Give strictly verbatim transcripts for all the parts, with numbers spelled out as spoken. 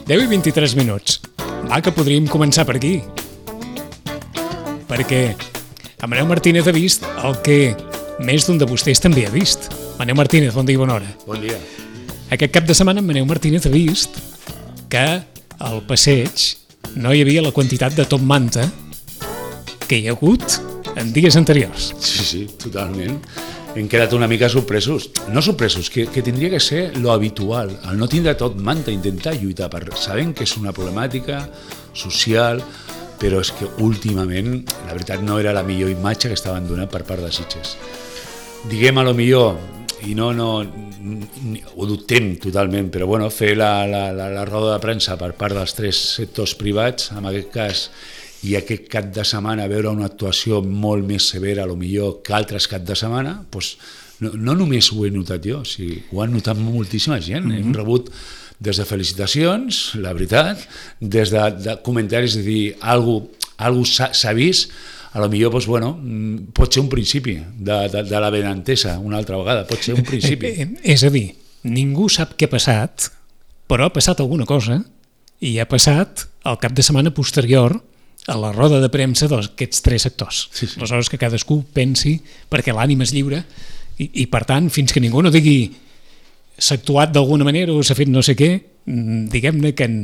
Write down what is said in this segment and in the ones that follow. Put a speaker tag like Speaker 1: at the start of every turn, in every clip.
Speaker 1: deu i vint-i-tres minuts. Va, que podríem començar per aquí. Perquè Maneu Martínez ha vist el que més d'un de vostès també ha vist. Maneu Martínez, bon dia i bona hora.
Speaker 2: Bon dia.
Speaker 1: Aquest cap de setmana Maneu Martínez ha vist que al passeig no hi havia la quantitat de top manta que hi ha hagut en dies anteriors.
Speaker 2: Sí, sí, totalment. Hem quedat una mica sorpresos. No sorpresos, que, que tindria que ser lo habitual. El no tindre tot manta, intentar lluitar per... Sabem que és una problemàtica social, però és que últimament, la veritat, no era la millor imatge que estaven donant per part de Sitges. Diguem a lo millor, i no, no, ho dubtem totalment, però bueno, fer la, la, la, la roda de premsa per part dels tres sectors privats, en aquest cas, i aquest cap de setmana veure una actuació molt més severa, a lo millor, que altres cap de setmana, doncs no, no només ho he notat jo, o sigui, ho han notat moltíssima gent. Mm-hmm. Hem rebut des de felicitacions, la veritat, des de, de comentaris de dir alguna cosa s'ha vist, a lo millor, doncs, bueno, pot ser un principi de, de, de la benentesa, una altra vegada, pot ser un principi.
Speaker 1: És a dir, ningú sap què ha passat, però ha passat alguna cosa, i ha passat el cap de setmana posterior a la roda de premsa d'aquests tres sectors.
Speaker 2: Sí, sí.
Speaker 1: Aleshores que cadascú pensi, perquè l'ànima és lliure, i, i per tant, fins que ningú no digui s'ha actuat d'alguna manera o s'ha fet no sé què, diguem-ne que en,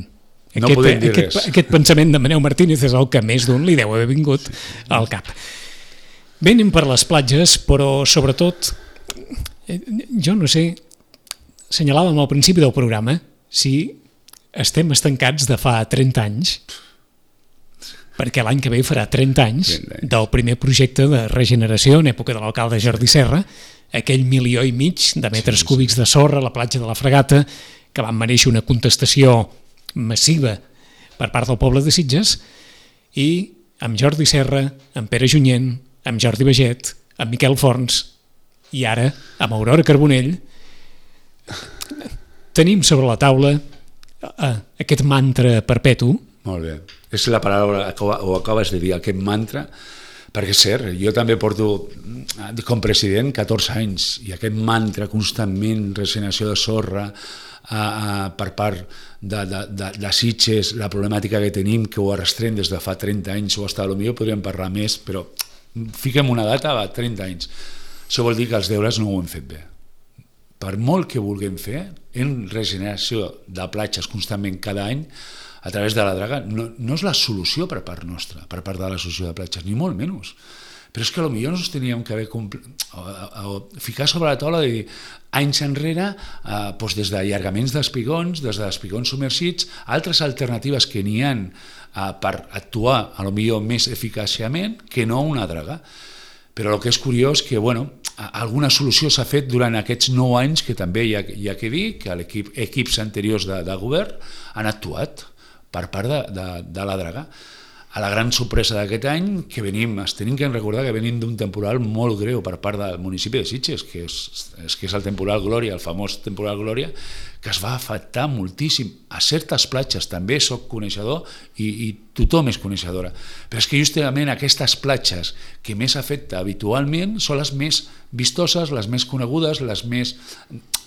Speaker 2: no
Speaker 1: aquest, aquest, aquest pensament de Maneu Martínez és el que més d'un li deu haver vingut al cap. Bé, anem per les platges, però sobretot, jo no sé, assenyalàvem al principi del programa si estem estancats de fa trenta anys, perquè l'any que ve farà trenta anys del primer projecte de regeneració en època de l'alcalde Jordi Serra, aquell milió i mig de metres cúbics de sorra a la platja de la Fregata, que van mereixer una contestació massiva per part del poble de Sitges, i amb Jordi Serra, amb Pere Junyent, amb Jordi Baget, amb Miquel Forns i ara amb Aurora Carbonell, tenim sobre la taula aquest mantra perpetu.
Speaker 2: Molt bé. És la paraula que ho acabes de dir, aquest mantra, perquè és cert, jo també porto com president catorze anys i aquest mantra constantment, regeneració de sorra, a, a, per part de, de, de, de Sitges, la problemàtica que tenim, que ho arrastrem des de fa trenta anys, o hasta potser podríem parlar més, però fiquem una data, va, trenta anys. Això vol dir que els deures no ho hem fet bé. Per molt que vulguem fer, en regeneració de platges constantment cada any, a través de la draga, no, no és la solució per part nostra, per part de l'associació de platges, ni molt menys. Però és que potser ens teníem que haver compl... o, o, ficar sobre la taula de dir, anys enrere, eh, doncs des d'allargaments d'espigons, des d'espigons submergits, altres alternatives que n'hi ha eh, per actuar potser més eficàciament que no una draga. Però el que és curiós que, bueno, alguna solució s'ha fet durant aquests nou anys, que també hi ha, hi ha que dir que l'equip, equips anteriors de, de govern han actuat per part de, de, de la draga. A la gran sorpresa d'aquest any, que venim, es tenim que recordar que venim d'un temporal molt greu per part del municipi de Sitges, que és, és, que és el temporal Glòria, el famós temporal Glòria, que es va afectar moltíssim. A certes platges també soc coneixedor i, i tothom és coneixedora. Però és que justament aquestes platges que més afecta habitualment són les més vistoses, les més conegudes, les més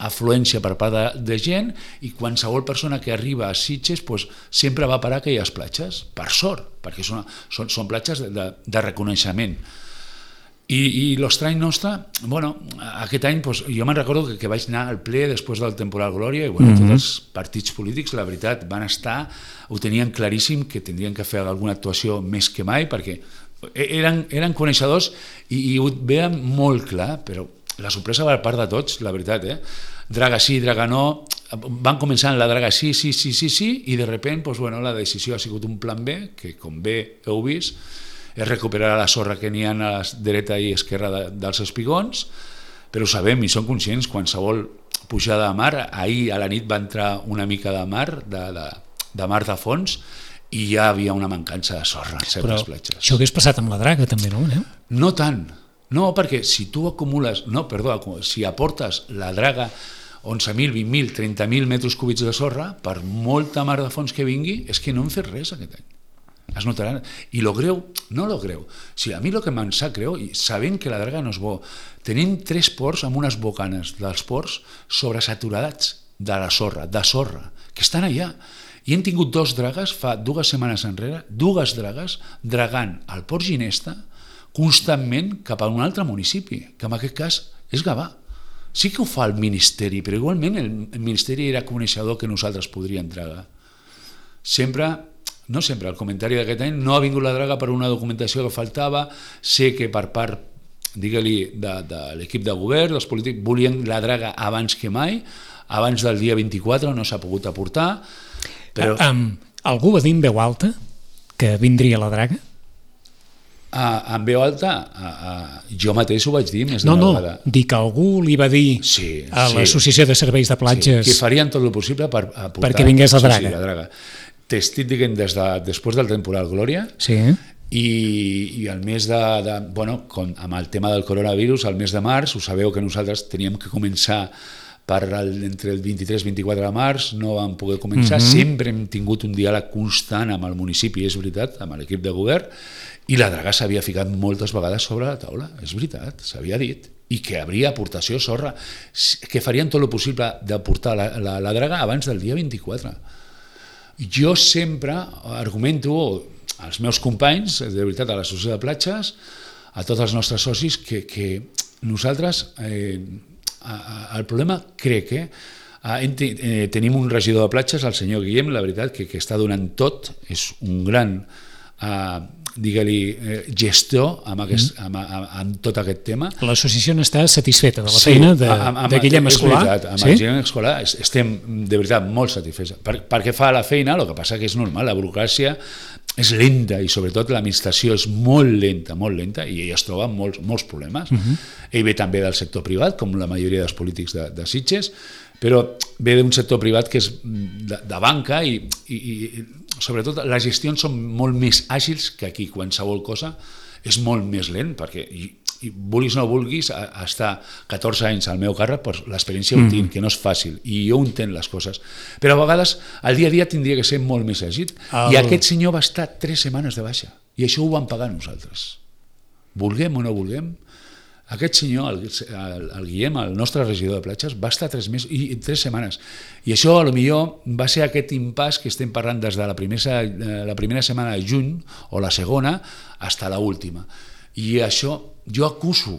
Speaker 2: afluència per part de, de gent, i qualsevol persona que arriba a Sitges doncs, sempre va parar a aquelles platges, per sort, perquè són, són, són platges de, de, de reconeixement. I, i l'estrany nostre, bueno, aquest any doncs, jo me'n recordo que, que vaig anar al ple després del temporal Glòria i bueno, mm-hmm. tots els partits polítics, la veritat, van estar, ho tenien claríssim que tindrien que fer alguna actuació més que mai, perquè eren, eren coneixedors i, i ho veien molt clar, però la sorpresa va per part de tots, la veritat, eh? Draga sí, draga no, van començar en la draga sí, sí, sí, sí, sí, i de repente doncs, bueno, la decisió ha sigut un plan B, que com bé heu vist, és recuperar la sorra que n'hi ha a la dreta i esquerra de, dels espigons, però ho sabem i som conscients, qualsevol pujada de mar, ahir a la nit va entrar una mica de mar, de, de, de mar de fons, i ja havia una mancança de sorra en certes
Speaker 1: però
Speaker 2: platges.
Speaker 1: Això hagués passat amb la draga també, no? Eh?
Speaker 2: No tant, no, perquè si tu acumules, no, perdó, si aportes la draga onze mil, vint mil, trenta mil metres cúbics de sorra, per molta mar de fons que vingui, és que no hem fet res aquest any. Es notaran. I lo greu, no lo greu, o sigui, a mi el que me'n sap greu, i sabent que la draga no és bo, tenim tres ports amb unes bocanes dels ports sobresaturats de la sorra, de sorra, que estan allà, I hem tingut dos dragues fa dues setmanes enrere, dues dragues dragant al Port Ginesta constantment cap a un altre municipi, que en aquest cas és Gavà. Sí que ho fa el Ministeri, però igualment el, el Ministeri era coneixedor que nosaltres podríem dragar. Sempre, no sempre, el comentari d'aquest any no ha vingut la draga per una documentació que faltava, sé que per part, digue-li, de, de l'equip de govern, dels polítics, volien la draga abans que mai, abans del dia vint-i-quatre no s'ha pogut aportar, però...
Speaker 1: Um, algú va dir en veu alta que vindria la draga?
Speaker 2: A, en veu alta, a, a, jo mateix ho vaig dir més
Speaker 1: no,
Speaker 2: d'una
Speaker 1: no,
Speaker 2: vegada.
Speaker 1: No, dic que algú li va dir
Speaker 2: sí,
Speaker 1: a
Speaker 2: sí.
Speaker 1: l'Associació de Serveis de Platges...
Speaker 2: Sí, que farien tot el possible per aportar...
Speaker 1: Perquè vingués la draga.
Speaker 2: Sí, sí, la draga. T'estic dient des de, després del temporal Glòria,
Speaker 1: sí.
Speaker 2: i, i el mes de... de bueno, com, amb el tema del coronavirus, el mes de març, ho sabeu que nosaltres teníem que començar per el, entre el vint-i-tres i vint-i-quatre de març, no vam poder començar, mm-hmm. sempre hem tingut un diàleg constant amb el municipi, és veritat, amb l'equip de govern, i la draga s'havia ficat moltes vegades sobre la taula, és veritat, s'havia dit, i que hauria aportació sorra, que farien tot el possible d'aportar la, la, la draga abans del dia vint-i-quatre. Jo sempre argumento als meus companys, de veritat, a l'Associació de Platges, a tots els nostres socis, que, que nosaltres, eh, el problema crec que eh, tenim un regidor de platges, el senyor Guillem, la veritat, que, que està donant tot, és un gran... Eh, digue-li, eh, gestor amb, aquest, amb, amb, amb tot aquest tema.
Speaker 1: L'associació està satisfeta de la sí, feina de, amb, amb, de Guillem Escolà?
Speaker 2: És veritat, amb sí? Guillem Escolà estem de veritat molt satisfets. Per, perquè fa la feina, el que passa que és normal, la burocràcia és lenta i sobretot l'administració és molt lenta, molt lenta i ell es troba amb molts, molts problemes. Uh-huh. Ell ve també del sector privat, com la majoria dels polítics de, de Sitges, però ve d'un sector privat que és de, de banca i, i, i sobretot les gestions són molt més àgils que aquí, qualsevol cosa és molt més lent, perquè i, i vulguis o no vulguis, a, a estar catorze anys al meu càrrec, pues, l'experiència mm. ho tinc, que no és fàcil, i jo ho entenc les coses, però a vegades el dia a dia tindria que ser molt més àgil, el... i aquest senyor va estar tres setmanes de baixa, i això ho vam pagar nosaltres, vulguem o no vulguem. Aquest senyor, el, el, el Guillem, el nostre regidor de platges, va estar tres, mesos, i, tres setmanes. I això, a lo millor, va ser aquest impàs que estem parlant des de la primera, la primera setmana de juny, o la segona, fins a l'última. I això, jo acuso,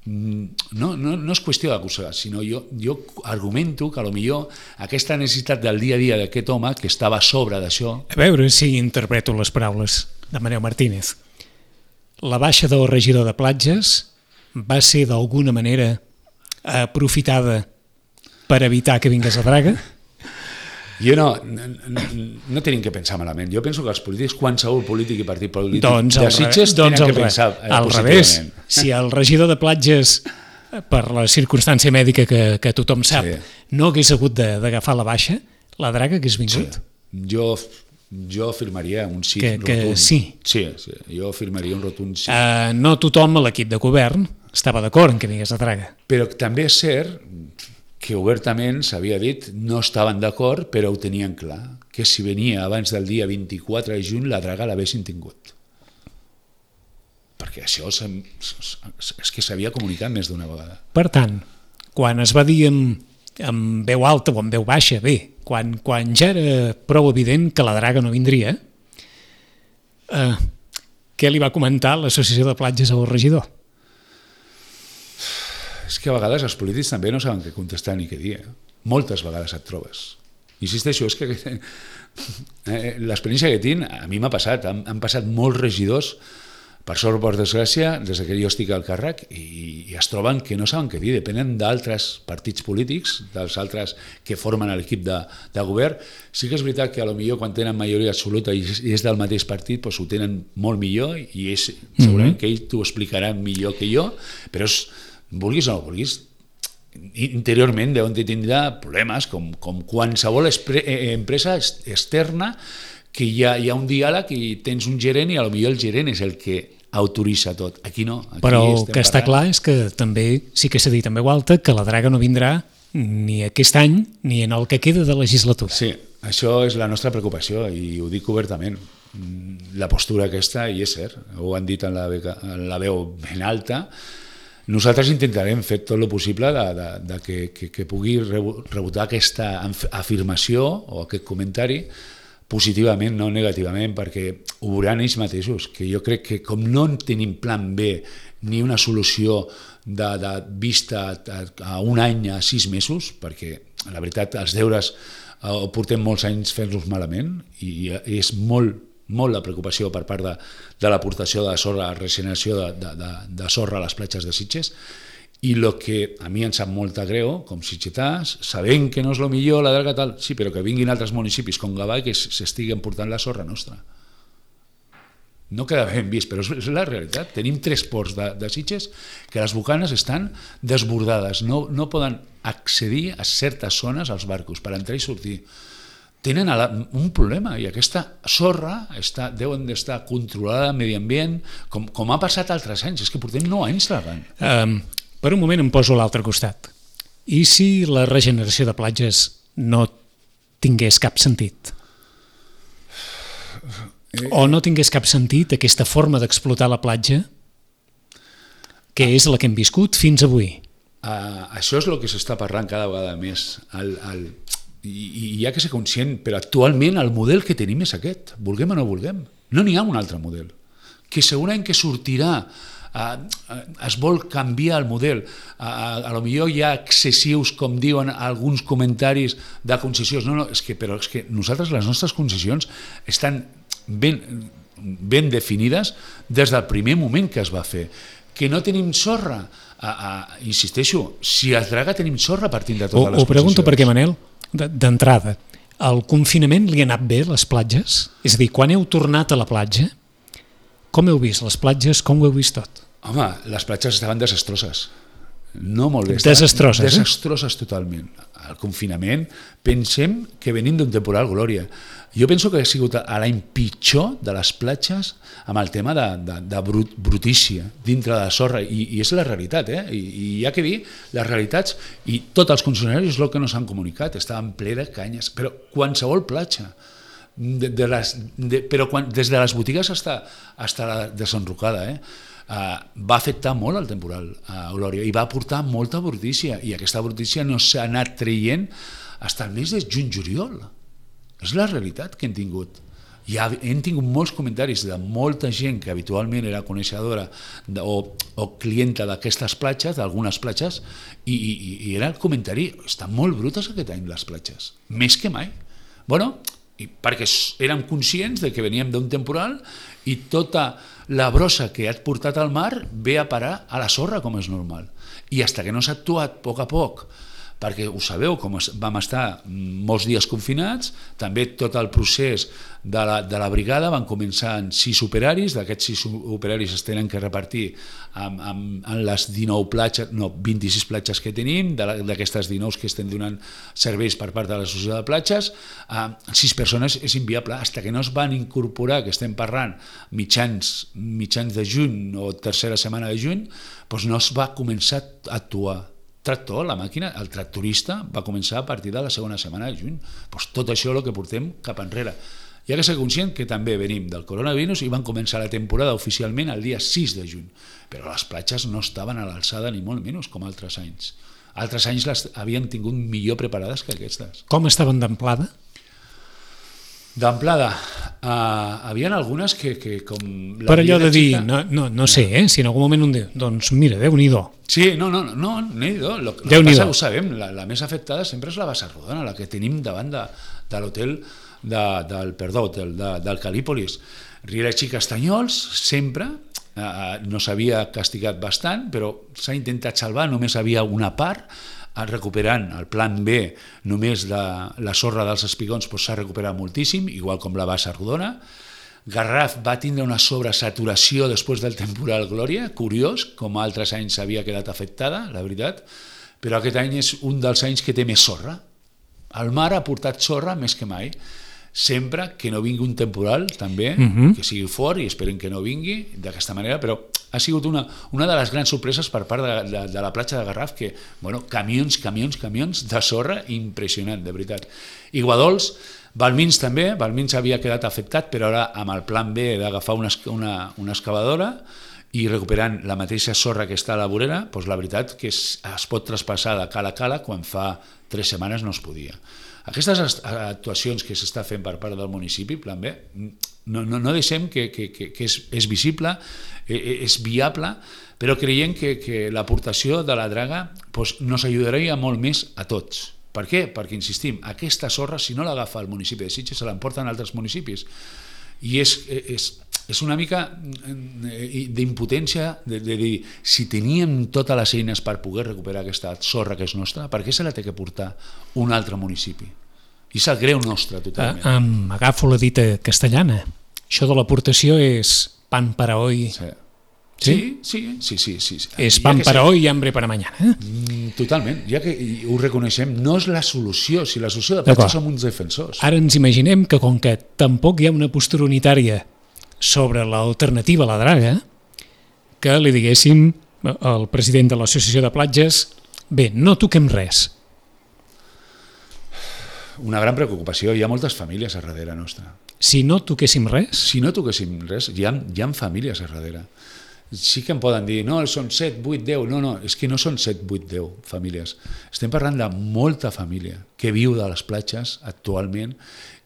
Speaker 2: no, no, no és qüestió d'acusar, sinó jo, jo argumento que a lo millor aquesta necessitat del dia a dia d'aquest home, que estava a sobre d'això...
Speaker 1: A veure si interpreto les paraules de Manel Martínez. La baixa del regidor de platges va ser d'alguna manera aprofitada per evitar que vingués la draga?
Speaker 2: Jo no, no, no tenim que pensar malament. Jo penso que els polítics, qualsevol polític i partit polític
Speaker 1: doncs
Speaker 2: de Sitges
Speaker 1: doncs
Speaker 2: tenen que pensar eh,
Speaker 1: al revés. Si el regidor de platges, per la circumstància mèdica que, que tothom sap, sí. no hagués hagut d'agafar la baixa, la draga hagués vingut?
Speaker 2: Sí. Jo... Jo afirmaria un sí
Speaker 1: que,
Speaker 2: rotund.
Speaker 1: Que sí.
Speaker 2: Sí, sí, jo afirmaria un rotund sí.
Speaker 1: Uh, no tothom a l'equip de govern estava d'acord en que vingués la draga.
Speaker 2: Però també és cert que obertament s'havia dit no estaven d'acord, però ho tenien clar, que si venia abans del dia vint-i-quatre de juny la draga l'haguessin tingut. Perquè això és que s'havia comunicat més d'una vegada.
Speaker 1: Per tant, quan es va dir amb, amb veu alta o amb veu baixa, bé, Quan, quan ja era prou evident que la draga no vindria, eh, què li va comentar l'Associació de Platges al regidor?
Speaker 2: És que a vegades els polítics també no saben què contestar ni què dir. Eh? Moltes vegades et trobes. Insisteixo, és que eh, l'experiència que tinc a mi m'ha passat. Han, han passat molts regidors, per sort o per desgràcia, des que jo estic al càrrec, i, i es troben que no saben què dir, depenen d'altres partits polítics, dels altres que formen l'equip de, de govern. Sí que és veritat que a lo millor quan tenen majoria absoluta i és, i és del mateix partit, doncs ho tenen molt millor, i és, segurament que ells t'ho explicaran millor que jo, però és, vulguis o no vulguis, interiorment deuen tindre problemes, com, com qualsevol empresa externa, que hi ha, hi ha un diàleg i tens un gerent i potser el gerent és el que autoritza tot. Aquí no. Aquí
Speaker 1: Però el que està clar és que també sí que s'ha dit en veu alta que la draga no vindrà ni aquest any ni en el que queda de legislatura.
Speaker 2: Sí, això és la nostra preocupació i ho dic obertament. La postura aquesta, i és cert, ho han dit en la, beca, en la veu ben alta, nosaltres intentarem fer tot el possible de, de, de que, que, que pugui rebotar aquesta afirmació o aquest comentari positivament, no negativament, perquè ho veuran ells mateixos, que jo crec que com no tenim plan B ni una solució de, de vista a, a un any, a sis mesos, perquè la veritat els deures eh, portem molts anys fent-los malament i, i és molt, molt la preocupació per part de, de l'aportació de sorra, la regeneració de, de, de, de sorra a les platges de Sitges. I el que a mi em sap molt greu, com sitgetàs, sabent que no és el millor, la delga tal, sí, però que vinguin altres municipis com Gavà que s'estiguen portant la sorra nostra. No queda ben vist, però és la realitat. Tenim tres ports de, de Sitges que les bocanes estan desbordades, no, no poden accedir a certes zones als barcos per entrar i sortir. Tenen un problema i aquesta sorra està, deuen d'estar controlada al medi ambient, com, com ha passat altres anys, és que portem nou anys davant.
Speaker 1: Um, per un moment em poso a l'altre costat. I si la regeneració de platges no tingués cap sentit? O no tingués cap sentit aquesta forma d'explotar la platja, que és la que hem viscut fins avui?
Speaker 2: Uh, això és el que s'està parlant cada vegada més. El, el, i, I hi ha que ser conscient, però actualment el model que tenim és aquest, vulguem o no vulguem. No n'hi ha un altre model. Que segurament que sortirà, uh, uh, es vol canviar el model. Uh, a lo millor hi ha excessius, com diuen alguns comentaris de concessions. No, no, és que, però és que nosaltres, les nostres concessions, estan ben, ben definides des del primer moment que es va fer. Que no tenim sorra, a, a, insisteixo, si es draga tenim sorra partint de totes
Speaker 1: o,
Speaker 2: les
Speaker 1: concessions. Ho pregunto perquè, Manel, d'entrada, el confinament li ha anat bé les platges? És a dir, quan heu tornat a la platja, com heu vist les platges, com ho heu vist tot?
Speaker 2: Home, les platges estaven desastroses. No molt bé.
Speaker 1: Desastroses, eh?
Speaker 2: Desastroses totalment. El confinament, pensem que venim d'un temporal glòria. Jo penso que ha sigut l'any pitjor de les platges amb el tema de, de, de brut, brutícia dintre de la sorra, i, i és la realitat, eh? I, i hi ha que dir les realitats, i tots els concessionaris és el que no s'han comunicat, estaven ple de canyes, però qualsevol platja, de, de les, de, però quan, des de les botigues fins a la desenrocada, eh? Uh, va afectar molt el temporal a Glòria i va aportar molta brutícia, i aquesta brutícia no s'ha anat traient fins al mes de juny-juliol. És la realitat que hem tingut. Ja hem tingut molts comentaris de molta gent que habitualment era coneixedora de, o, o clienta d'aquestes platges, d'algunes platges, i, i, i era el comentari: estan molt brutes aquest any les platges, més que mai. Bueno, i perquè érem conscients de que veníem d'un temporal i tota la brossa que ha portat al mar ve a parar a la sorra, com és normal. I fins que no s'ha actuat a poc a poc, perquè ho sabeu, com vam estar molts dies confinats, també tot el procés de la, de la brigada van començar en sis operaris, d'aquests sis operaris es tenen que repartir amb, amb, amb les dinou platges, no, vint-i-sis platges que tenim, d'aquestes dinou que estem donant serveis per part de l'associació de platges, eh, sis persones és inviable, fins que no es van incorporar, que estem parlant mitjans, mitjans de juny o tercera setmana de juny, doncs no es va començar a actuar. Tractor, la màquina, el tractorista va començar a partir de la segona setmana de juny. Pues tot això és el que portem cap enrere. Hi ha que ser conscient que també venim del coronavirus i van començar la temporada oficialment el dia sis de juny, però les platges no estaven a l'alçada ni molt menys com altres anys. Altres anys les havien tingut millor preparades que aquestes.
Speaker 1: Com estaven d'amplada?
Speaker 2: D'amplada, uh, havien algunes que, que com...
Speaker 1: Per allò de dir, no, no, no sé, eh? Si en algun moment un diu, doncs mira, Déu-n'hi-do.
Speaker 2: Sí, no, no, no, Déu-n'hi-do. El que passa, ho sabem, la, la més afectada sempre és la Bassa Rodona, la que tenim davant de, de l'hotel de, del, perdó, del, de, del Calípolis. Riells i Castanyols, sempre, uh, no s'havia castigat bastant, però s'ha intentat salvar, només havia una part, recuperant el plan B, només de la sorra dels espigons s'ha doncs recuperat moltíssim, igual com la Bassa Rodona. Garraf va tindre una sobresaturació després del temporal Glòria, curiós, com altres anys havia quedat afectada, la veritat, però aquest any és un dels anys que té més sorra. El mar ha portat sorra més que mai, sempre que no vingui un temporal, també, uh-huh. que sigui fort, i esperem que no vingui d'aquesta manera, però ha sigut una, una de les grans sorpreses per part de, de, de la platja de Garraf, que, bueno, camions, camions, camions de sorra, impressionant, de veritat. I Guadols, Balmins també, Balmins havia quedat afectat, però ara amb el plan B d'agafar una, una, una excavadora, i recuperant la mateixa sorra que està a la vorera, doncs la veritat que es, es pot traspassar de cala a cala quan fa tres setmanes no es podia. Aquestes actuacions que s'està fent per part del municipi, plan B, no, no, no deixem que, que, que, que és, és visible, és viable, però creiem que, que l'aportació de la draga doncs, nos ajudaria molt més a tots. Per què? Perquè, insistim, aquesta sorra, si no l'agafa el municipi de Sitges, se l'emporten altres municipis. I és, és, és una mica d'impotència de, de dir, si teníem totes les eines per poder recuperar aquesta sorra que és nostra, per què se la té que portar un altre municipi? I és el greu nostre, totalment.
Speaker 1: Ah, um, agafo la dita castellana. Això de l'aportació és pan para hoy.
Speaker 2: Sí. Sí, sí, sí, sí, sí.
Speaker 1: És pan para hoy i hambre para mañana.
Speaker 2: Eh? Totalment, ja que ho reconeixem, no és la solució, si la solució de platja som uns defensors.
Speaker 1: Ara ens imaginem que com que tampoc hi ha una postura unitària sobre l'alternativa a la draga, que li diguéssim al president de l'Associació de Platges, bé, no toquem res.
Speaker 2: Una gran preocupació, hi ha moltes famílies a darrere nostra.
Speaker 1: Si no toquéssim res?
Speaker 2: Si no toquéssim res, hi ha, hi ha famílies a darrere. Sí que em poden dir, no, són set, vuit, deu, no, no, és que no són set, vuit, deu famílies. Estem parlant de molta família que viu de les platges actualment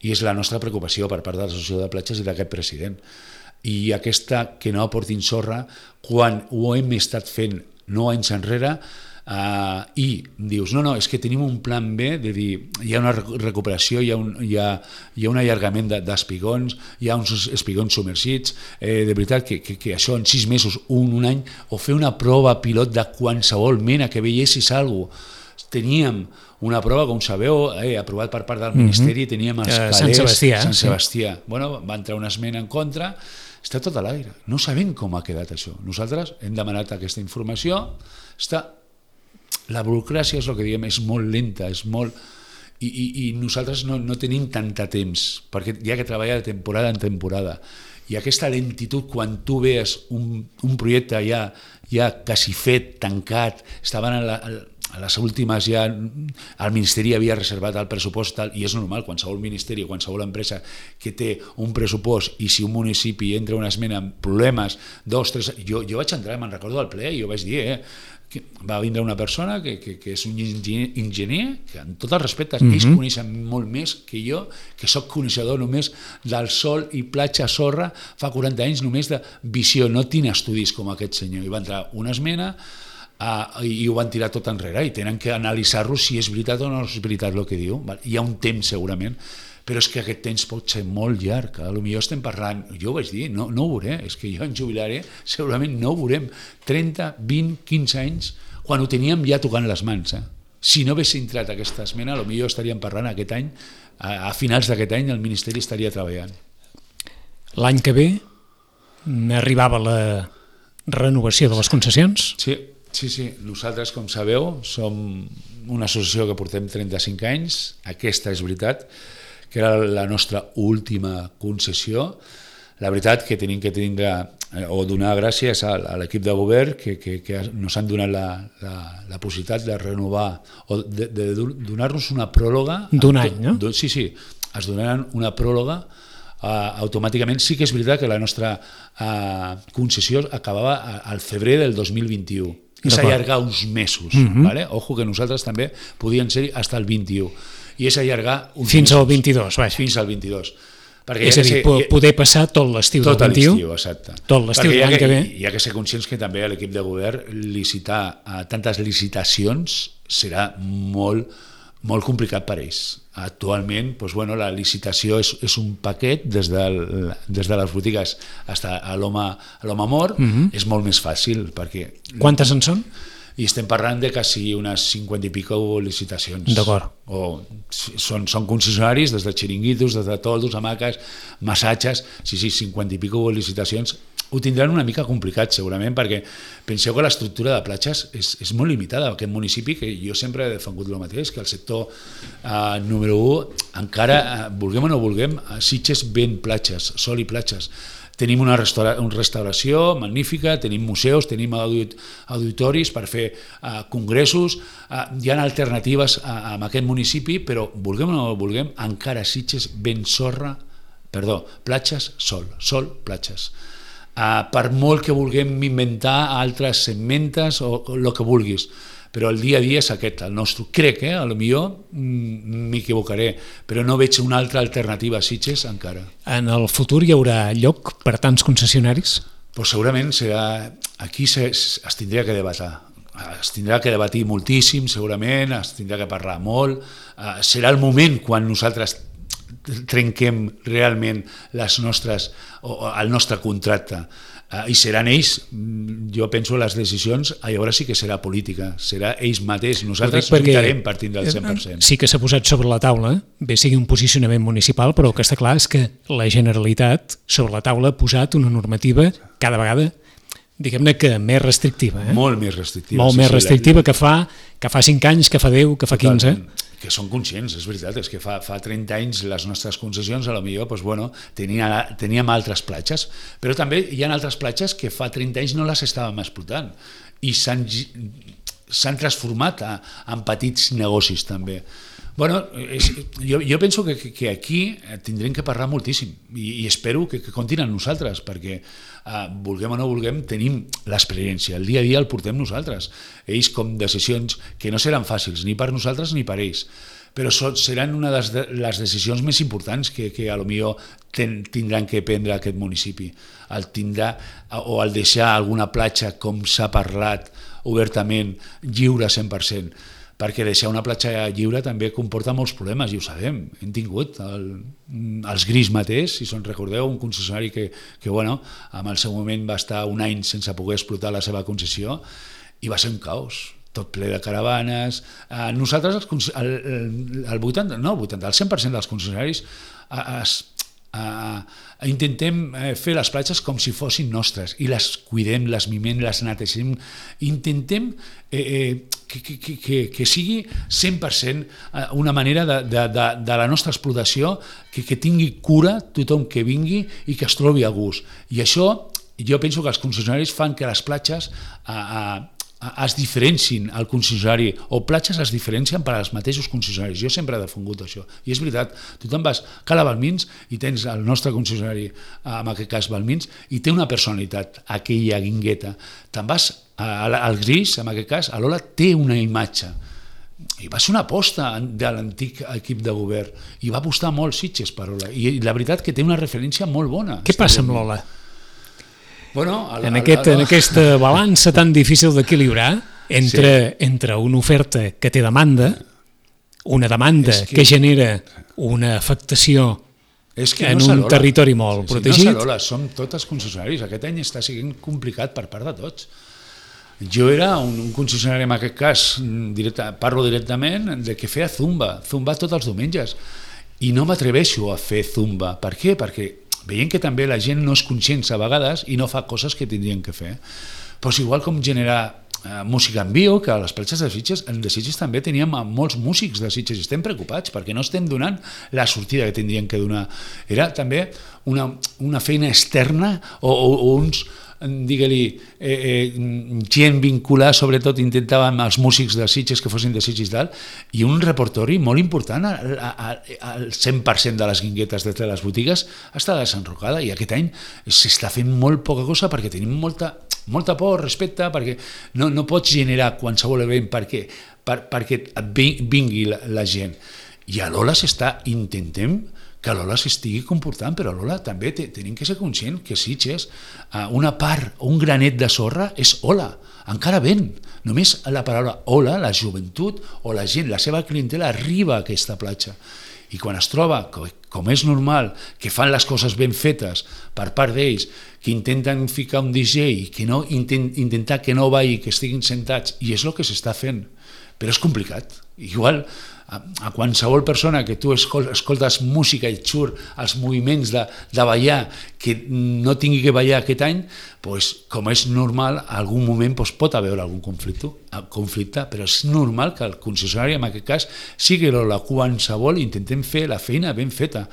Speaker 2: i és la nostra preocupació per part de l'Associació de Platges i d'aquest president. I aquesta que no aportin sorra, quan ho hem estat fent nou anys enrere, Uh, i dius, no, no, és que tenim un plan B de dir, hi ha una recuperació, hi ha un, hi ha, hi ha un allargament d'espigons, hi ha uns espigons submergits, eh, de veritat que, que, que això en sis mesos, un, un any, o fer una prova pilot de qualsevol mena que veiessis alguna cosa. Teníem una prova, com sabeu, eh, aprovat per part del Ministeri, mm-hmm. teníem els calés,
Speaker 1: Sant Sebastià.
Speaker 2: Sant Sebastià. Sí. Bueno, va entrar una esmena en contra, està tot a l'aire. No sabem com ha quedat això. Nosaltres hem demanat aquesta informació, està... La burocràcia és el que diem, és molt lenta, és molt... I, i, i nosaltres no, no tenim tant temps, perquè hi ha que treballar de temporada en temporada. I aquesta lentitud, quan tu veus un, un projecte ja, ja quasi fet, tancat, estaven a, la, a les últimes ja... El Ministeri havia reservat el pressupost, tal, i és normal, qualsevol ministeri, qualsevol empresa que té un pressupost i si un municipi entra una esmena amb problemes, dos, tres... Jo, jo vaig entrar, me'n recordo al ple, i jo vaig dir, eh, que va vindre una persona que, que, que és un enginyer, que amb tot el respecte, mm-hmm. ells coneixen molt més que jo, que sóc coneixedor només del sol i platja sorra, fa quaranta anys només de visió, no tinc estudis com aquest senyor. I va entrar una esmena uh, i ho van tirar tot enrere i tenen que analitzar-lo si és veritat o no és veritat el que diu. Hi ha un temps segurament, però és que aquest temps pot ser molt llarg. Potser estem parlant, jo ho vaig dir, no, no ho veuré, és que jo em jubilaré, segurament no ho veurem, trenta, vint, quinze anys, quan ho teníem ja tocant les mans. Eh? Si no hagués entrat aquesta esmena, potser estaríem parlant aquest any, a, a finals d'aquest any el Ministeri estaria treballant.
Speaker 1: L'any que ve arribava la renovació de les concessions?
Speaker 2: Sí, sí, sí. Nosaltres, com sabeu, som una associació que portem trenta-cinc anys, aquesta és veritat, que era la nostra última concessió. La veritat que tenim que tindre, o donar gràcies a, a l'equip de govern que, que, que ens han donat la, la, la possibilitat de renovar, o de, de donar-nos una pròrroga.
Speaker 1: D'un any, no?
Speaker 2: Sí, sí, es donaran una pròrroga uh, automàticament. Sí que és veritat que la nostra uh, concessió acabava al febrer del dos mil vint-i-u. I s'allargar uns mesos. Mm-hmm. Vale? Ojo que nosaltres també podien ser fins al vint-i-u. I és allargar uns
Speaker 1: fins
Speaker 2: mesos.
Speaker 1: Al vint-i-dos, vaja.
Speaker 2: Fins al vint-i-dos. Perquè
Speaker 1: és a dir, ser, poder passar tot l'estiu del vint-i-u.
Speaker 2: Tot l'estiu, exacte.
Speaker 1: Tot l'estiu de l'any que ve.
Speaker 2: Hi ha que ser conscients que també a l'equip de govern licitar a tantes licitacions serà molt, molt complicat per ells. Actualment, doncs, bueno, la licitació és, és un paquet des de, des de les botigues fins a l'home mort, mm-hmm. és molt més fàcil. Perquè...
Speaker 1: Quantes en són?
Speaker 2: I estem parlant de quasi unes cinquanta i pico licitacions.
Speaker 1: D'acord.
Speaker 2: O són, són concessionaris des de xiringuitos, des de toldos, hamaques, massatges, sí, sí, cinquanta i pico licitacions. Ho tindran una mica complicat segurament perquè penseu que l'estructura de platges és, és molt limitada. Aquest municipi, que jo sempre he defengut el mateix, que el sector eh, número un, encara, eh, vulguem o no vulguem, Sitges ven platges, sol i platges. Tenim una, restaura, una restauració magnífica, tenim museus, tenim audit, auditoris per fer uh, congressos, uh, hi ha alternatives a, a aquest municipi, però vulguem o no vulguem, encara Sitges ven sorra, perdó, platges, sol, sol, platges. Uh, per molt que vulguem inventar altres segmentes o el que vulguis, però el dia a dia és aquest, el nostre. Crec, eh? A lo millor m'equivocaré, però no veig una altra alternativa a Sitges encara.
Speaker 1: En el futur hi haurà lloc per tants concessionaris?
Speaker 2: Pues segurament serà... Aquí se, es tindria que debatar. Es tindrà que debatir moltíssim, segurament, es tindrà que parlar molt. Uh, serà el moment quan nosaltres trenquem realment les nostres, o el nostre contracte. Uh, I seran ells, jo penso, les decisions, llavors sí que serà política, serà ells mateixos, nosaltres lluitarem partint del cent per cent.
Speaker 1: Sí que s'ha posat sobre la taula, bé sigui un posicionament municipal, però el que està clar és que la Generalitat sobre la taula ha posat una normativa cada vegada, diguem-ne que més restrictiva. Eh?
Speaker 2: Molt més restrictiva.
Speaker 1: Molt
Speaker 2: sí,
Speaker 1: més
Speaker 2: sí,
Speaker 1: restrictiva la... que, fa, que fa cinc anys, que fa deu, que fa quinze.
Speaker 2: Totalment. Que són conscients, és veritat, és que fa, fa trenta anys les nostres concessions, a lo millor, doncs, bueno, tenia, teníem altres platges, però també hi ha altres platges que fa trenta anys no les estàvem explotant i s'han transformat a, en petits negocis també. Bueno, és, jo, jo penso que, que aquí tindrem que parlar moltíssim i, i espero que, que comptin amb nosaltres perquè eh, vulguem o no vulguem tenim l'experiència, el dia a dia el portem nosaltres, ells com decisions que no seran fàcils ni per nosaltres ni per ells, però so, seran una de les, de les decisions més importants que, que a lo millor ten, tindran que prendre aquest municipi, el tindrà o el deixar alguna platja com s'ha parlat obertament lliure cent per cent, perquè deixar una platja lliure també comporta molts problemes, i ho sabem. Hem tingut el, els Gris mateix, si se'n recordeu, un concessionari que, que bueno, en el seu moment va estar un any sense poder explotar la seva concessió i va ser un caos, tot ple de caravanes. Eh, nosaltres, el, el, el vuitanta, no, el vuitanta, el cent per cent dels concessionaris es, Uh, intentem fer les platges com si fossin nostres i les cuidem, les mimem, les netegem, intentem eh, eh, que, que, que, que sigui cent per cent una manera de, de, de, de la nostra explotació que, que tingui cura tothom que vingui i que es trobi a gust, i això jo penso que els concessionaris fan que les platges uh, uh, es diferencin al concessionari, o platges es diferencien per als mateixos concessionaris. Jo sempre he defungut això, i és veritat, tu te'n vas a Cala Balmins i tens el nostre concessionari, en aquest cas Balmins, i té una personalitat, aquella guingueta. Te'n vas al Gris, en aquest cas, a l'Ola té una imatge, i va ser una aposta de l'antic equip de govern, i va apostar molt Sitges per Ola, i la veritat que té una referència molt bona.
Speaker 1: Què passa amb l'Ola?
Speaker 2: Bueno, el,
Speaker 1: en, aquest, el, el... en aquesta balança tan difícil d'equilibrar entre, sí. entre una oferta que té demanda, una demanda que... que genera una afectació
Speaker 2: és que
Speaker 1: en
Speaker 2: no
Speaker 1: un territori molt sí, protegit.
Speaker 2: Sí, no s'arola, som tots concessionaris. Aquest any està sent complicat per part de tots. Jo era un, un concessionari, en aquest cas, directe, parlo directament, de que feia zumba, zumba tots els diumenges. I no m'atreveixo a fer zumba. Per què? Perquè veient que també la gent no és conscient a vegades i no fa coses que tindrien que fer. Pues igual com generar eh, música en viu, que a les platges de Sitges, de Sitges també teníem molts músics de Sitges i estem preocupats perquè no estem donant la sortida que tindrien que donar. Era també una, una feina externa o, o, o uns digue-li, eh, eh, gent vinculada, sobretot intentàvem els músics de Sitges que fossin de Sitges i tal, i un repertori molt important, al cent per cent de les guinguetes de les botigues està desenrocada, i aquest any s'està fent molt poca cosa perquè tenim molta, molta por, respecte, perquè no, no pots generar qualsevol event perquè, per, perquè vingui la, la gent. I a l'Ola s'està intentem que l'Ola s'estigui comportant, però l'Ola també tenim que ser conscient que Sitges, una part, un granet de sorra és Ola, encara ven. Només la paraula Ola, la joventut o la gent, la seva clientela arriba a aquesta platja. I quan es troba, com és normal, que fan les coses ben fetes per part d'ells, que intenten ficar un D J, que no, intent, intentar que no balli, que estiguin sentats, i és el que s'està fent. Però és complicat. Igual a qualsevol persona que tu escoltes música i surt els moviments de, de ballar que no tingui que ballar aquest any, pues, com és normal, en algun moment pues, pot haver algun conflicte, conflicte, però és normal que el concessionari, en aquest cas, sigui la qualsevol, intentem fer la feina ben feta.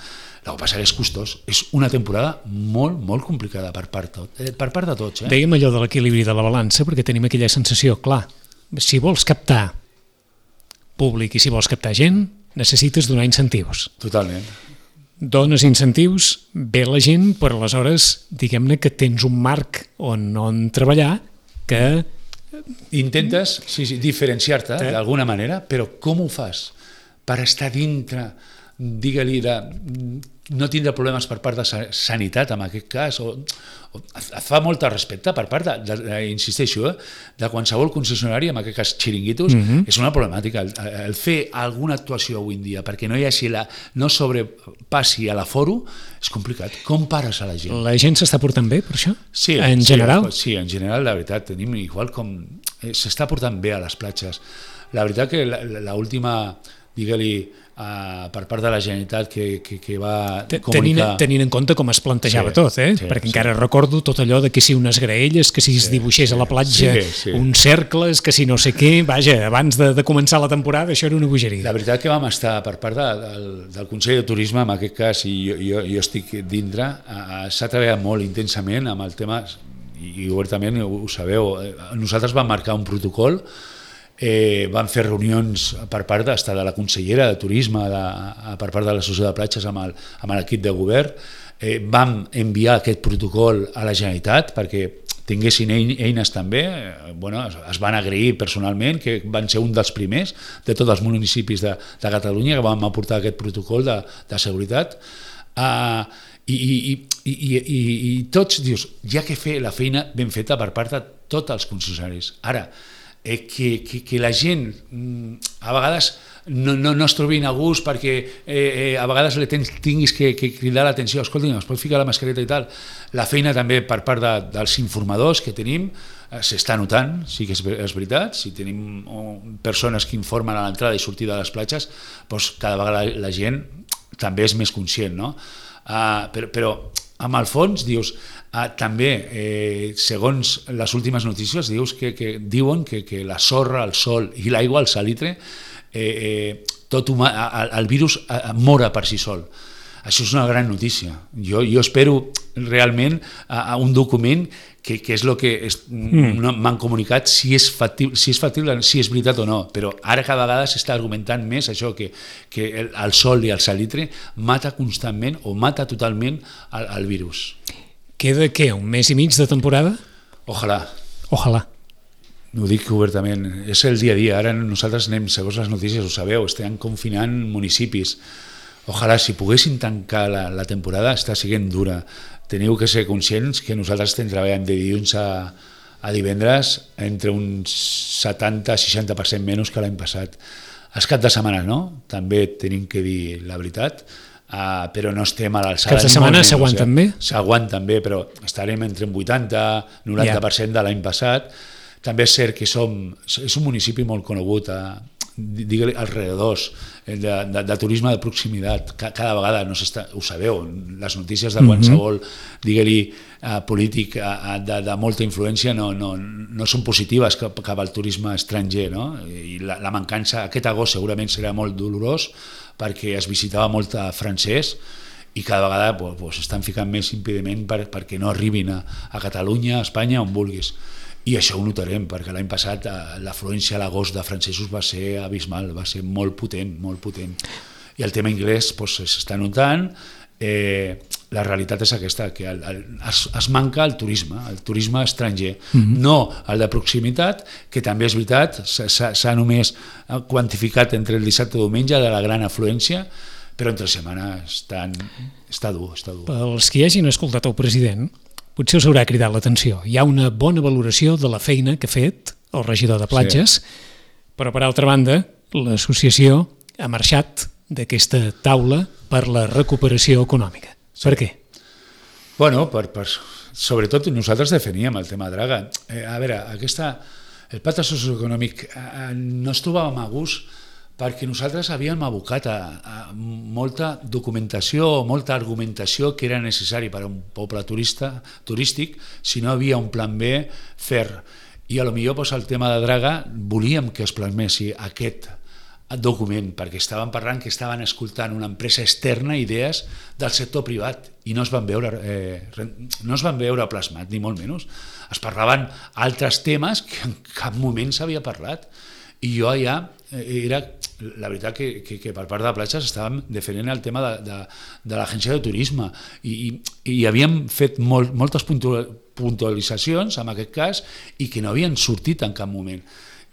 Speaker 2: El que passa és costós. És una temporada molt, molt complicada per part, tot, eh, per part de tots. Eh?
Speaker 1: Dèiem allò de l'equilibri de la balança, perquè tenim aquella sensació, clar, si vols captar públic i si vols captar gent, necessites donar incentius.
Speaker 2: Totalment.
Speaker 1: dones incentius, ve la gent, però aleshores, diguem-ne que tens un marc on, on treballar que...
Speaker 2: Intentes sí, sí, diferenciar-te
Speaker 1: eh?
Speaker 2: d'alguna manera, però com ho fas? Per estar dintre, digue-li, de no tindre problemes per part de sanitat, en aquest cas, o, o et fa molt respecte per part, de, de, de, insisteixo, eh, de qualsevol concessionari, en aquest cas xiringuitos, mm-hmm. és una problemàtica. El, el fer alguna actuació avui en dia perquè no hi hagi la, no sobrepassi a l'aforo és complicat. Com pares a la gent?
Speaker 1: La gent s'està portant bé per això?
Speaker 2: Sí,
Speaker 1: en
Speaker 2: sí,
Speaker 1: general?
Speaker 2: Sí, en general, la veritat, tenim igual com... S'està portant bé a les platges. La veritat que l'última, digue-li, Uh, per part de la Generalitat que, que, que va comunicar...
Speaker 1: Tenint, tenint en compte com es plantejava sí, tot, eh?
Speaker 2: Sí,
Speaker 1: perquè
Speaker 2: sí.
Speaker 1: encara recordo tot allò de que si unes graelles, que si es dibuixés sí, a la platja sí, sí. uns cercles, que si no sé què, vaja, abans de, de començar la temporada això era una bogeria.
Speaker 2: La veritat que vam estar per part de, del, del Consell de Turisme, en aquest cas, i jo, jo, jo estic dintre, uh, s'ha treballat molt intensament amb el tema, i obertament ho, ho sabeu, nosaltres vam marcar un protocol. Eh, van fer reunions per part de, de la consellera de Turisme, de, per part de l'Associació de Platges amb l'equip de govern. Eh, vam enviar aquest protocol a la Generalitat perquè tinguessin eines també. Eh, bueno, es van agrair personalment, que van ser un dels primers de tots els municipis de, de Catalunya que vam aportar aquest protocol de, de seguretat. Uh, i, i, i, i, i, i tots dius, ja que fer la feina ben feta per part de tots els concessionaris. Ara, Eh, que, que, que la gent a vegades no, no, no es trobin a gust perquè eh, eh, a vegades le tens, tinguis que, que cridar l'atenció, escolta, es pot ficar la mascareta i tal. La feina també per part de, dels informadors que tenim eh, s'està notant, sí que és, és veritat, si tenim oh, persones que informen a l'entrada i sortida de les platges, doncs cada vegada la, la gent també és més conscient, no? Uh, però, però amb el fons dius, uh, també eh, segons les últimes notícies dius que, que diuen que, que la sorra, el sol i l'aigua, el salitre, eh, eh, tot humà, el, el virus eh, mora per si sol. Això és una gran notícia. Jo, jo espero realment a, a un document que, que és el que és, mm. no, m'han comunicat si és, factible, si és factible, si és veritat o no, però ara cada vegada s'està argumentant més això, que, que el, el sol i el salitre mata constantment o mata totalment el, el virus.
Speaker 1: Queda, què, un mes i mig de temporada?
Speaker 2: Ojalà.
Speaker 1: Ojalà.
Speaker 2: Ho dic obertament, és el dia a dia. Ara nosaltres anem, segons les notícies, ho sabeu, estem confinant municipis. Ojalà, si poguessin tancar la, la temporada, està sent dura. Teniu que ser conscients que nosaltres estem treballant de dilluns a, a divendres entre un setanta a seixanta per cent menys que l'any passat. Els caps de setmana no, també tenim que dir la veritat, uh, però no estem a l'alçada.
Speaker 1: Caps de setmana s'aguanten bé?
Speaker 2: S'aguanten bé, però estarem entre un vuitanta a noranta per cent de l'any passat. També és cert que som, és un municipi molt conegut a digue-li, alrededors de, de, de turisme de proximitat. Cada vegada, no s'està, ho sabeu, les notícies de qualsevol, digue-li, uh, polític uh, de, de molta influència no, no, no són positives cap, cap al turisme estranger, no? I la, la mancança, aquest agost segurament serà molt dolorós perquè es visitava molt francès i cada vegada pues, pues, estan ficant més impediment per, perquè no arribin a, a Catalunya, a Espanya, on vulguis. I això ho notarem, perquè l'any passat l'afluència a l'agost de francesos va ser abismal, va ser molt potent, molt potent. I el tema anglès s'està doncs, notant, eh, la realitat és aquesta, que el, el, es, es manca el turisme, el turisme estranger, mm-hmm. no el de proximitat, que també és veritat, s'ha només quantificat entre el dissabte i diumenge de la gran afluència, però entre setmana estan, està dur, està dur.
Speaker 1: Pels que hagin escoltat el president, potser us haurà cridat l'atenció. Hi ha una bona valoració de la feina que ha fet el regidor de platges, sí. Però per altra banda, l'associació ha marxat d'aquesta taula per la recuperació econòmica. Sí. Per què?
Speaker 2: Bueno, per, per, sobretot nosaltres definíem el tema Draga. Eh, a veure, aquesta, el pacte socioeconòmic eh, no es trobàvem a gust perquè nosaltres havíem abocat a, a molta documentació o molta argumentació que era necessari per a un poble turista, turístic si no havia un plan B fer. I a lo millor pues, el tema de Draga volíem que es plasmessi aquest document, perquè estaven parlant que estaven escoltant una empresa externa idees del sector privat i no es van veure, eh, no es van veure plasmat, ni molt menys. Es parlaven altres temes que en cap moment s'havia parlat. I jo allà era la veritat que, que, que per part de platges estàvem defendent el tema de, de, de l'agència de turisme i, i, i havíem fet molt, moltes puntualitzacions en aquest cas i que no havien sortit en cap moment.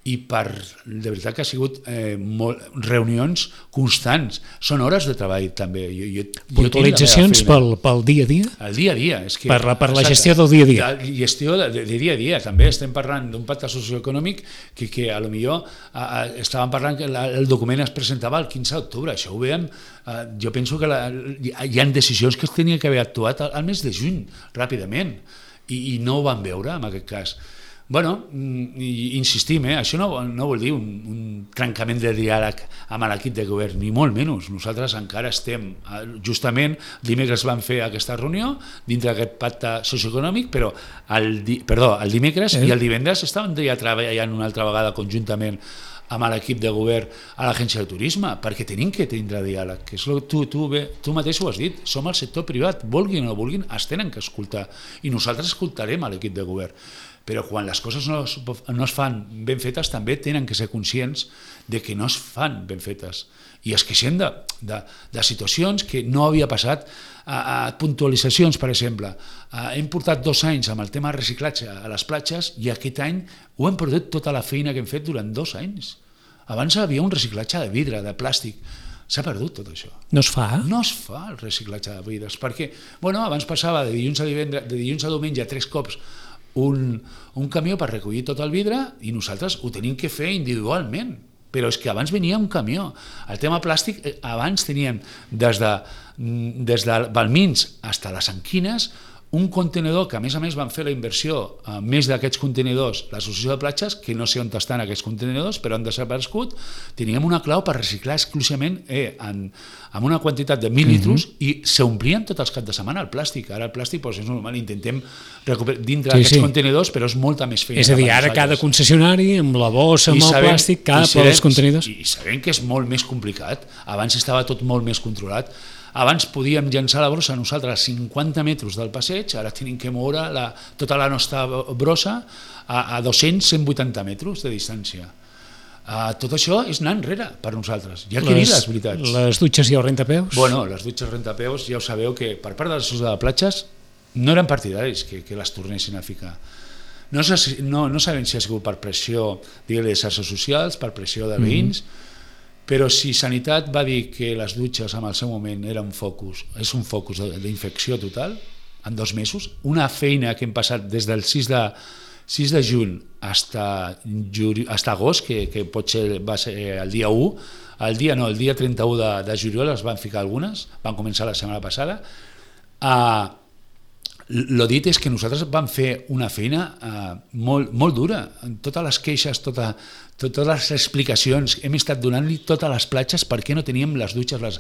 Speaker 2: I per, de veritat que ha sigut eh, molt, reunions constants, són hores de treball també. Jo, jo,
Speaker 1: puntualitzacions
Speaker 2: jo
Speaker 1: pel, pel dia a dia?
Speaker 2: El dia a dia. És que,
Speaker 1: per la, per la gestió del dia a dia.
Speaker 2: La gestió de, de, de dia a dia, també estem parlant d'un pacte socioeconòmic que, que a lo millor a, a, estàvem parlant que la, el document es presentava el quinze d'octubre, això ho veiem, eh, jo penso que la, hi ha decisions que es tenien que haver actuat al, al mes de juny, ràpidament, i, i no ho van veure en aquest cas. Bueno, insistim, eh? Això no, no vol dir un, un trencament de diàleg amb l'equip de govern, ni molt menys. Nosaltres encara estem, justament, dimecres vam fer aquesta reunió dintre d'aquest pacte socioeconòmic, però el, di, perdó, el dimecres eh? i el divendres estàvem ja treballant una altra vegada conjuntament amb l'equip de govern a l'agència de turisme, perquè tenim que tindre diàleg, que és lo, tu, tu, bé, tu mateix ho has dit, som el sector privat, vulguin o no vulguin, es tenen que escoltar, i nosaltres escoltarem a l'equip de govern. Però quan les coses no es, no es fan ben fetes també tenen que ser conscients de que no es fan ben fetes i es queixen de, de, de situacions que no havia passat a, a puntualitzacions, per exemple. A, hem portat dos anys amb el tema de reciclatge a les platges i aquest any ho hem perdut tota la feina que hem fet durant dos anys. Abans hi havia un reciclatge de vidre, de plàstic. S'ha perdut tot això.
Speaker 1: No es fa?
Speaker 2: No es fa el reciclatge de vidres, perquè bueno, abans passava de dilluns a, divendres, de dilluns a diumenge tres cops Un, un camió per recollir tot el vidre i nosaltres ho tenim que fer individualment, però és que abans venia un camió. El tema plàstic, abans teníem des de, des de Balmins fins a les Anquines un contenidor que a més a més van fer la inversió a més d'aquests contenidors, l'associació de platges, que no sé on estan aquests contenidors, però han desaparegut, teníem una clau per reciclar exclusivament eh, en, en una quantitat de mil litres mm-hmm. i s'omplien tots els caps de setmana el plàstic. Ara el plàstic doncs, és normal, intentem recuperar dintre sí, d'aquests sí. contenidors, però és molta més feina.
Speaker 1: És a dir, ara cada concessionari amb la bossa, amb I el sabem, plàstic, cap als contenidors.
Speaker 2: I sabem que és molt més complicat, abans estava tot molt més controlat. Abans podíem llançar la brossa nosaltres a cinquanta metres del passeig, ara tenim que moure la, tota la nostra brossa a, a dos-cents a cent vuitanta metres de distància. Uh, tot això és anar enrere per nosaltres. Hi ha que dir les veritats.
Speaker 1: Les dutxes i el rentapeus?
Speaker 2: Bueno, les dutxes rentapeus ja ho sabeu que per part de l'associació de platges no eren partidaris que, que les tornessin a ficar. No, no, no sabem si ha sigut per pressió de les xarxes socials, per pressió de veïns, mm. Però si Sanitat va dir que les dutxes en el seu moment eren un focus, és un focus d'infecció total, en dos mesos, una feina que hem passat des del sis de juny fins a agost, que, que potser va ser el dia u, el dia, no, el dia trenta-u de, de juliol es van ficar algunes, van començar la setmana passada. Uh, Lo dit és que nosaltres vam fer una feina uh, molt, molt dura, totes les queixes, tota, totes les explicacions, hem estat donant-li totes les platges per què no teníem les dutxes les,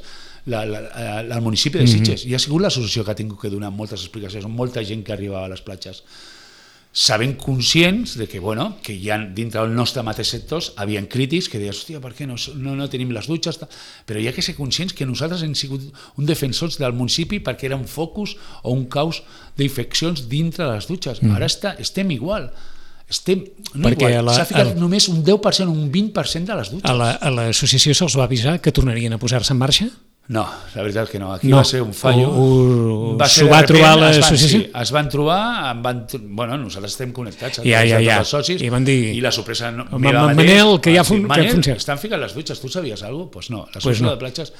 Speaker 2: la, la, la, al municipi de Sitges, mm-hmm. i ha sigut l'associació que ha tingut que donar moltes explicacions, molta gent que arribava a les platges. Sabem conscients de que, bueno, que hi ha dintre del nostre mateix sectors havien crítics que deien, hòstia, per què no, no, no tenim les dutxes? Però hi ha que ser conscients que nosaltres hem sigut un defensors del municipi perquè era un focus o un caos d'infeccions dintre de les dutxes. Mm. Ara està, estem igual. Estem, no igual. S'ha ficat el... només un deu per cent, un vint per cent de les dutxes.
Speaker 1: A l'associació la, se'ls va avisar que tornarien a posar-se en marxa?
Speaker 2: No, la veritat que no. Aquí no, va ser un fallo.
Speaker 1: S'ho va, va trobar l'associació?
Speaker 2: Sí, es van trobar, en van, bueno, nosaltres estem connectats
Speaker 1: ja, ja, ja.
Speaker 2: els socis,
Speaker 1: i, van dir,
Speaker 2: i la sorpresa no,
Speaker 1: meva mateix, Manel, que ja fun,
Speaker 2: Manel,
Speaker 1: que funciona.
Speaker 2: Estan ficant les dutxes, tu sabies alguna cosa? Doncs pues no, l'associació
Speaker 1: pues no.
Speaker 2: de platges,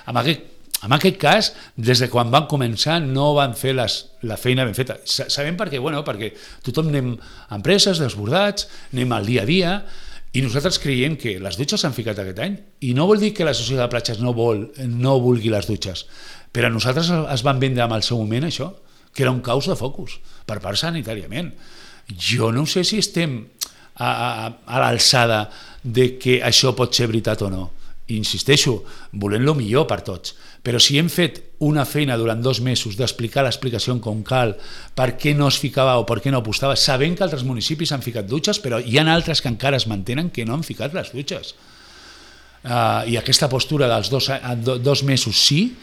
Speaker 2: en aquest, en aquest cas, des de quan van començar no van fer les, la feina ben feta. Sabem per què? Bueno, perquè tothom anem a empreses, desbordats, anem al dia a dia, i nosaltres creiem que les dutxes s'han ficat aquest any i no vol dir que l'associació de platges no, vol, no vulgui les dutxes, però nosaltres es van vendre en el seu moment això, que era un caos de focus per part sanitàriament. Jo no sé si estem a, a, a l'alçada de que això pot ser veritat o no. Insisteixo, volem el millor per tots, però si hem fet una feina durant dos mesos d'explicar l'explicació com cal, per què no es ficava o per què no apostava, sabent que altres municipis han ficat dutxes, però hi ha altres que encara es mantenen que no han ficat les dutxes. Uh, I aquesta postura dels dos, do, dos mesos sí,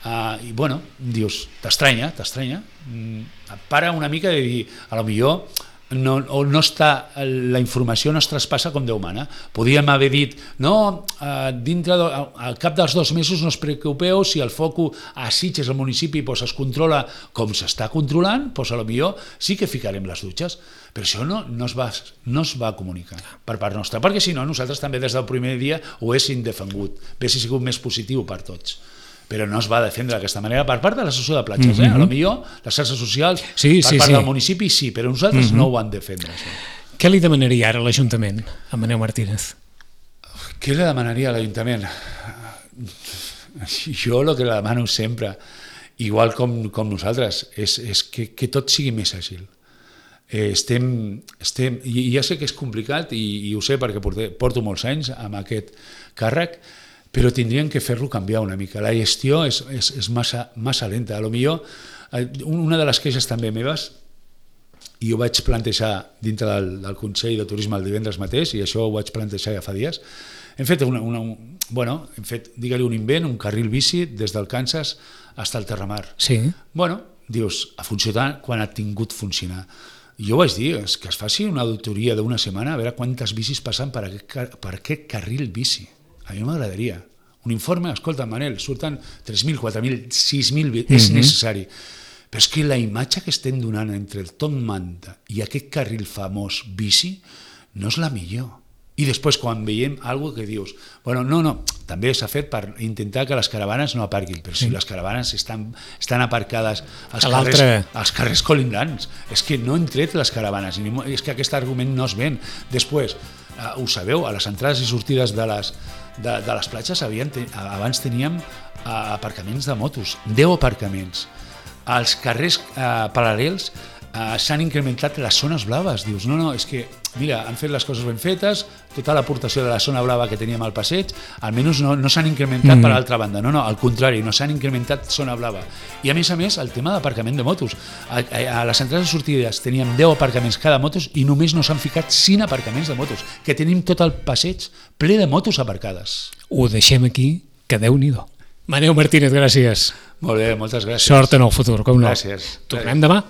Speaker 2: uh, i bueno, dius, t'estranya, t'estranya, mm, et para una mica de dir, a lo millor no, o no està, la informació no es traspassa com Déu mana. Podíem haver dit, no, eh, dintre de, al cap dels dos mesos no us preocupeu, si el foc a Sitges, al municipi, pues, es controla com s'està controlant, pues, a lo millor sí que ficarem les dutxes, però això no, no, es va, no es va comunicar per part nostra, perquè si no, nosaltres també des del primer dia ho haguéssim defengut, haguéssim sigut més positiu per tots, però no es va defendre d'aquesta manera per part de l'associació de platges, eh? A lo millor les xarxes socials,
Speaker 1: sí,
Speaker 2: per
Speaker 1: sí,
Speaker 2: part
Speaker 1: sí.
Speaker 2: del municipi sí, però nosaltres mm-hmm. no ho van defendre, això.
Speaker 1: Què li demanaria ara a l'Ajuntament, a Manel Martínez?
Speaker 2: Què li demanaria a l'Ajuntament? Jo el que li demano sempre, igual com, com nosaltres, és, és que, que tot sigui més àgil. Eh, estem, estem, i ja sé que és complicat i, i ho sé perquè porto, porto molts anys amb aquest càrrec, però tindrien que fer-lo canviar una mica. La gestió és, és, és massa, massa lenta. A lo millor, una de les queixes també meves, i ho vaig plantejar dintre del, del Consell de Turisme el divendres mateix, i això ho vaig plantejar ja fa dies, hem fet, una, una, un, bueno, hem fet digue-li un invent, un carril bici des del Kansas fins al Terramar.
Speaker 1: Sí.
Speaker 2: Bueno, dius, ha funcionat quan ha tingut funcionar. Jo vaig dir, és que es faci una auditoria d'una setmana a veure quantes bicis passen per aquest, per aquest carril bici. A mi m'agradaria. Un informe, escolta, Manel, surten tres mil, quatre mil, sis mil, mm-hmm. és necessari. Però és que la imatge que estem donant entre el Top Manta i aquest carril famós bici no és la millor. I després, quan veiem alguna que dius, bueno, no, no, també s'ha fet per intentar que les caravanes no aparquin, però si sí. les caravanes estan, estan aparcades als carrers, als carrers colindants, és que no han tret les caravanes, és que aquest argument no es ven. Després, uh, ho sabeu, a les entrades i sortides de les, de, de les platges havien, abans teníem uh, aparcaments de motos, deu aparcaments. Als carrers uh, paral·lels uh, s'han incrementat les zones blaves. Dius, no, no, és que, mira, han fet les coses ben fetes, tota l'aportació de la zona blava que teníem al passeig, almenys no, no s'han incrementat mm. per l'altra banda, no, no, al contrari, no s'han incrementat zona blava. I a més a més, el tema d'aparcament de motos. A, a, a les entrades i sortides teníem deu aparcaments cada motos i només no s'han ficat cinc aparcaments de motos, que tenim tot el passeig ple de motos aparcades.
Speaker 1: Ho deixem aquí, que Déu-n'hi-do. Manel Martínez, gràcies.
Speaker 2: Molt bé, moltes gràcies.
Speaker 1: Sort en el futur, com no.
Speaker 2: Gràcies.
Speaker 1: Tornem demà.